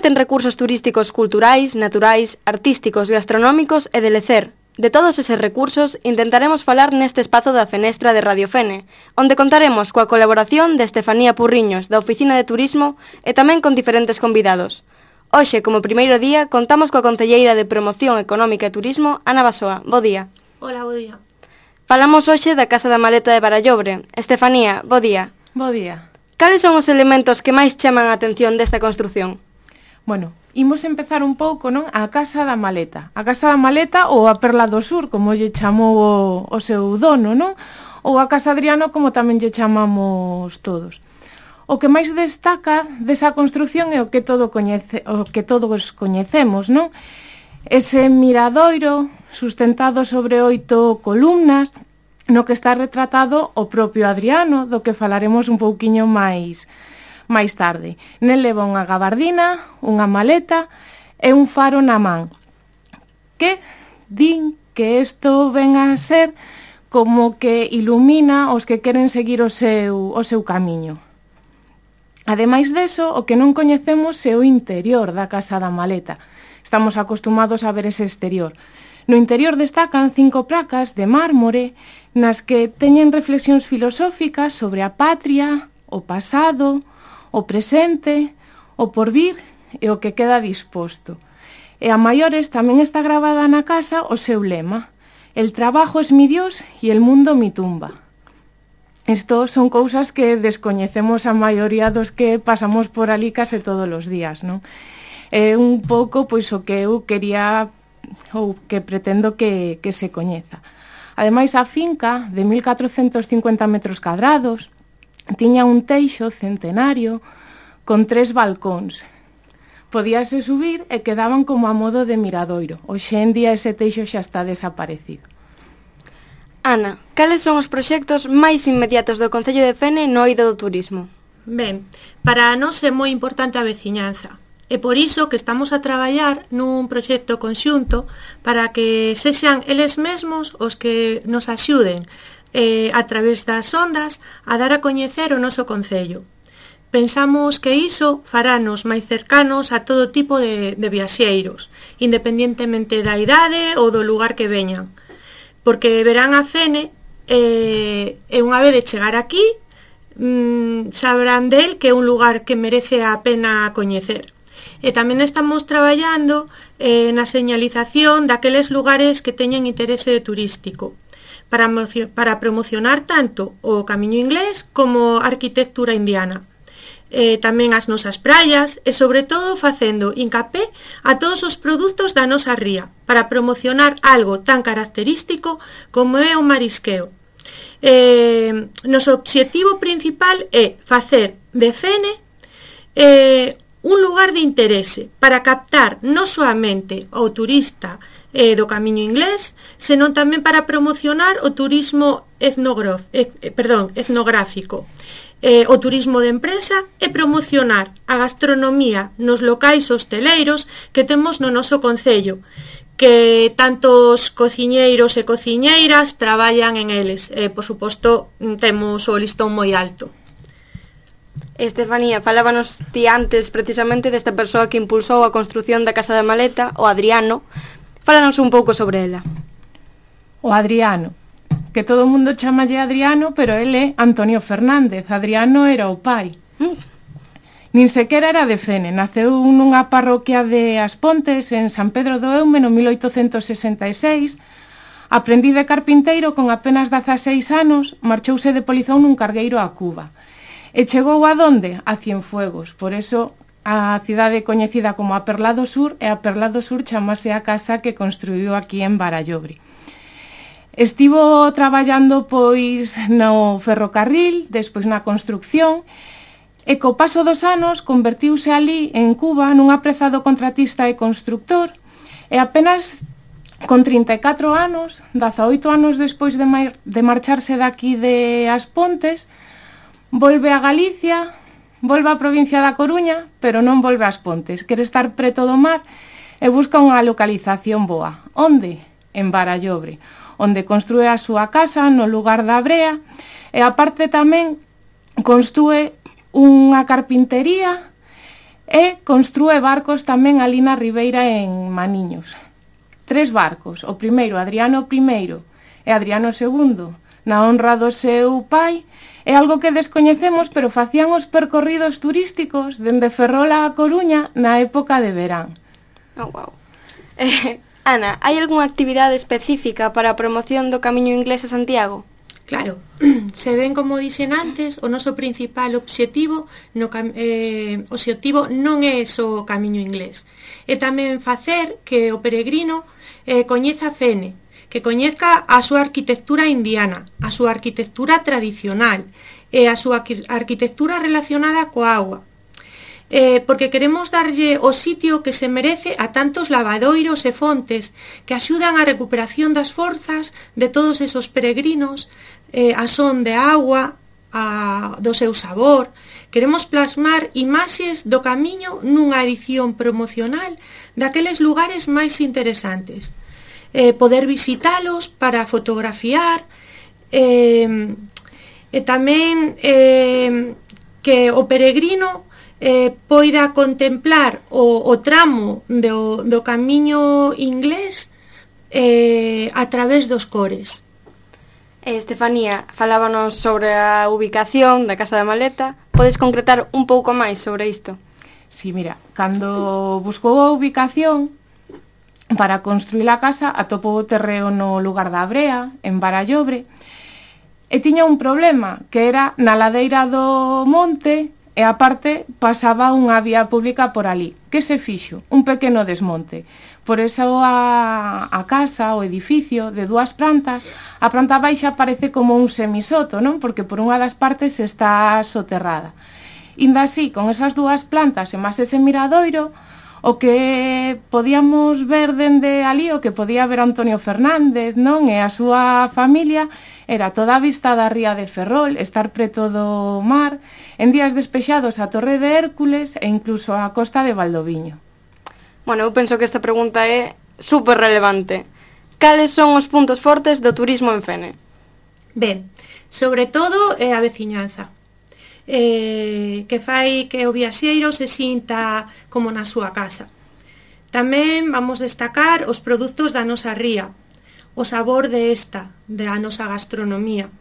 ten recursos turísticos culturais, naturais, artísticos, gastronómicos e de lecer. De todos eses recursos, intentaremos falar neste espazo da Fenestra de Radio Fene, onde contaremos coa colaboración de Estefanía Purriños, da Oficina de Turismo, e tamén con diferentes convidados. Hoxe, como primeiro día, contamos coa concelleira de Promoción Económica e Turismo, Ana Basoa. Bo día. Hola, bo día. Falamos hoxe da Casa da Maleta de Barallobre. Estefanía, bo día. Bo día. Cales son os elementos que máis chaman a atención desta construción? Bueno, imos empezar un pouco, non? A Casa da Maleta. A Casa da Maleta ou a Perla do Sur, como lle chamou o seu dono, non? Ou a Casa Adriano, como tamén lle chamamos todos. O que máis destaca desa construción é o que todos coñecemos, non? Ese miradoiro sustentado sobre 8 columnas, no que está retratado o propio Adriano, do que falaremos un pouquiño máis tarde. Nel leva unha gabardina, unha maleta e un faro na man, que din que isto ven a ser como que ilumina os que queren seguir o seu camiño. Ademais deso, o que non coñecemos é o interior da Casa da Maleta. Estamos acostumados a ver ese exterior. No interior destacan 5 placas de mármore nas que teñen reflexións filosóficas sobre a patria, o pasado, o presente, o porvir e o que queda disposto. E a maiores tamén está gravada na casa o seu lema: el trabajo es mi Dios y el mundo mi tumba. Isto son cousas que descoñecemos a maioría dos que pasamos por ali case todos os días, non? É un pouco pois o que eu quería ou que pretendo que se coñeza. Ademais, a finca, de 1450 metros cadrados, tiña un teixo centenario con 3 balcóns. Podíase subir e quedaban como a modo de miradoiro. Hoxe en día ese teixo xa está desaparecido. Ana, cales son os proxectos máis inmediatos do Concello de Fene no eido do turismo? Ben, para nós é moi importante a veciñanza. É por iso que estamos a traballar nun proxecto conxunto para que sexan eles mesmos os que nos axuden a través das ondas a dar a coñecer o noso concello. Pensamos que iso farános máis cercanos a todo tipo de viaxeiros, independentemente da idade ou do lugar que veñan, porque verán a Fene e unha vez de chegar aquí sabrán del que é un lugar que merece a pena coñecer. E tamén estamos traballando na señalización daqueles lugares que teñen interese turístico, para promocionar tanto o camiño inglés como a arquitectura indiana. Tamén as nosas praias e, sobre todo, facendo hincapé a todos os produtos da nosa ría para promocionar algo tan característico como é o marisqueo. Noso obxectivo principal é facer de Fene un lugar de interese para captar non soamente ao turista do camiño inglés, senón tamén para promocionar o turismo etnográfico, o turismo de empresa e promocionar a gastronomía nos locais hosteleiros que temos no noso concello, que tantos cociñeiros e cociñeiras traballan en eles. Por suposto, temos o listón moi alto. Estefanía, falábanos ti antes precisamente desta persoa que impulsou a construción da Casa da Maleta, o Adriano. Fálanos un pouco sobre ela. O Adriano, que todo o mundo chamalle Adriano, pero ele é Antonio Fernández. Adriano era o pai. Nin sequera era de Fene, naceu nunha parroquia de As Pontes, en San Pedro do Eume, no 1866. Aprendí de carpinteiro con apenas 16 anos, marchouse de polizón nun cargueiro a Cuba. E chegou a donde? A Cienfuegos. Por eso a cidade coñecida como a Perla do Sur, e a Perla do Sur chamase a casa que construiu aquí en Barallobre. Estivo traballando pois no ferrocarril, despois na construcción, e co paso dos anos convertiuse ali en Cuba nun aprezado contratista e constructor, e apenas con 34 anos, 18 anos despois de marcharse daqui de As Pontes, volve a Galicia, volve á provincia da Coruña, pero non volve ás Pontes. Quere estar preto do mar e busca unha localización boa. Onde? En Barallobre, onde construe a súa casa no lugar da Brea e aparte tamén construe unha carpintería e construe barcos tamén ali na ribeira en Maniños. 3 barcos, o primeiro Adriano I e Adriano II, na honra do seu pai, é algo que descoñecemos, pero facían os percorridos turísticos dende Ferrol a Coruña na época de verán. Oh, wow. Ana, hai algunha actividade específica para a promoción do Camiño Inglés a Santiago? Claro, se ven como dixen antes, o noso principal obxectivo non é só o Camiño Inglés, é tamén facer que o peregrino coñeza Fene, que coñezca a súa arquitectura indiana, a súa arquitectura tradicional e a súa arquitectura relacionada coa auga, porque queremos darlle o sitio que se merece a tantos lavadoiros e fontes que axudan á recuperación das forzas de todos esos peregrinos, a son de agua, do seu sabor. Queremos plasmar imaxes do camiño nunha edición promocional daqueles lugares máis interesantes, poder visitalos para fotografiar, e tamén que o peregrino poida contemplar o tramo do Camiño Inglés a través dos cores. Estefanía, falábanos sobre a ubicación da Casa da Maleta. Podes concretar un pouco máis sobre isto? Sí, mira, cando buscou a ubicación para construir a casa, atopou o terreo no lugar da Brea, en Barallobre, e tiña un problema, que era na ladeira do monte, e aparte pasaba unha vía pública por ali. Que se fixo? Un pequeno desmonte. Por eso a casa, o edificio de 2 plantas, a planta baixa parece como un semisoto, non? Porque por unha das partes está soterrada. Inda así, con esas 2 plantas e máis ese miradoiro, o que podíamos ver dende ali, o que podía ver Antonio Fernández, non? E a súa familia, era toda a vista da ría de Ferrol, estar preto do mar, en días despexados a Torre de Hércules e incluso a costa de Valdoviño. Bueno, eu penso que esta pregunta é super relevante. Cales son os puntos fortes do turismo en Fene? Ben, sobre todo é a veciñanza, que fai que o viaxeiro se sinta como na súa casa. Tamén vamos destacar os produtos da nosa ría, o sabor da nosa gastronomía,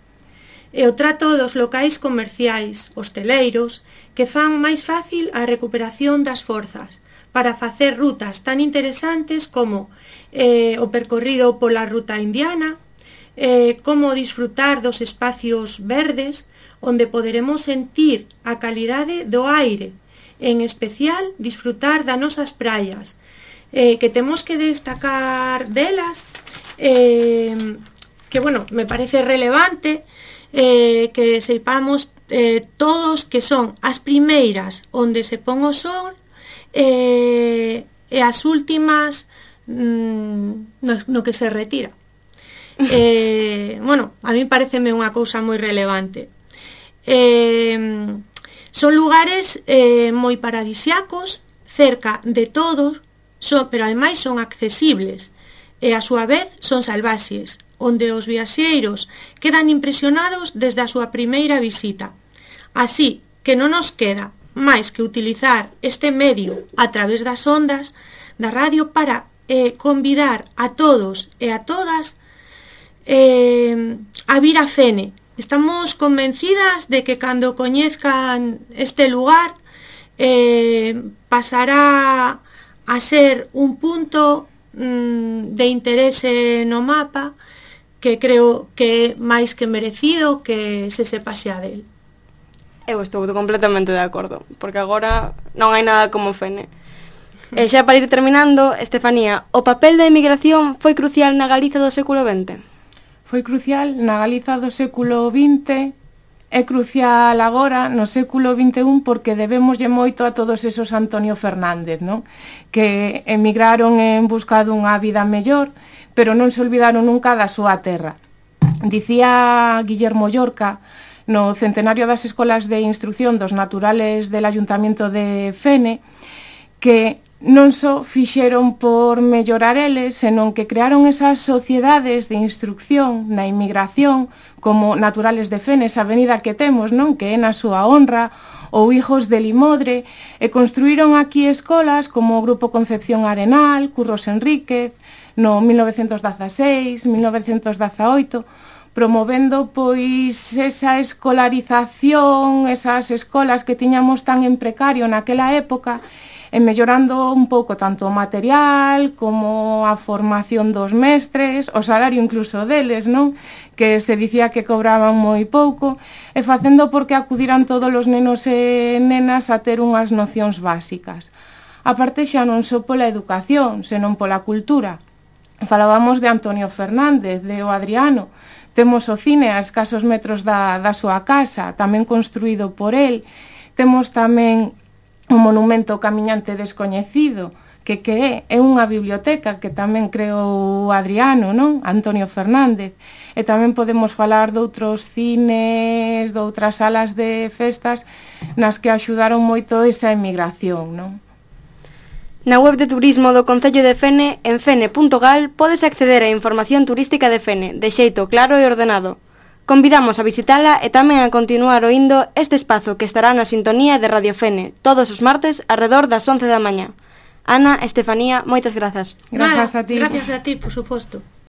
e o trato dos locais comerciais, hosteleiros, que fan máis fácil a recuperación das forzas para facer rutas tan interesantes como o percorrido pola ruta indiana, como disfrutar dos espacios verdes onde poderemos sentir a calidade do aire, en especial disfrutar das nosas praias, que temos que destacar delas, que, bueno, me parece relevante que sepamos todos que son as primeiras onde se pon o sol e as últimas no que se retira. Bueno, a mí pareceme unha cousa moi relevante. Son lugares moi paradisiacos, cerca de todos, pero ademais son accesibles e a súa vez son salvaxes, onde os viaxeiros quedan impresionados desde a súa primeira visita. Así que non nos queda máis que utilizar este medio a través das ondas da radio para convidar a todos e a todas a vir a Fene. Estamos convencidas de que cando coñezcan este lugar pasará a ser un punto de interese no mapa que creo que é máis que merecido que se sepa xa del. Eu estou completamente de acordo, porque agora non hai nada como Fene. E xa para ir terminando, Estefanía, o papel da emigración foi crucial na Galiza do século XX? Foi crucial na Galiza do século XX, é crucial agora no século XXI porque debemoslle moito a todos esos Antonio Fernández, non? Que emigraron en busca dunha vida mellor, pero non se olvidaron nunca da súa terra. Dicía Guillermo Llorca, no centenario das escolas de instrucción dos naturales del Ayuntamiento de Fene, que non só fixeron por mellorar eles, senón que crearon esas sociedades de instrucción na inmigración, como Naturales de Fene, esa avenida que temos, non? Que é na súa honra, ou Hijos de Limodre, e construíron aquí escolas como o Grupo Concepción Arenal, Curros Enríquez, no 1916, 1918, promovendo pois esa escolarización, esas escolas que tiñamos tan en precario naquela época, e mellorando un pouco tanto o material como a formación dos mestres, o salario incluso deles, non? Que se dicía que cobraban moi pouco, e facendo porque acudiran todos os nenos e nenas a ter unhas nocións básicas. A parte xa non só pola educación, senón pola cultura. Falábamos de Antonio Fernández, de O Adriano. Temos o cine a escasos metros da súa casa, tamén construído por el. Temos tamén o monumento Camiñante Descoñecido, que é unha biblioteca que tamén creou Adriano, non? Antonio Fernández. E tamén podemos falar doutros cines, doutras salas de festas nas que axudaron moito esa emigración, non? Na web de turismo do Concello de Fene, en fene.gal, podes acceder á información turística de Fene, de xeito claro e ordenado. Convidamos a visitala e tamén a continuar oindo este espazo que estará na sintonía de Radio Fene todos os martes arredor das 11 da mañá. Ana, Estefanía, moitas grazas. Grazas a ti. Gracias a ti, por suposto.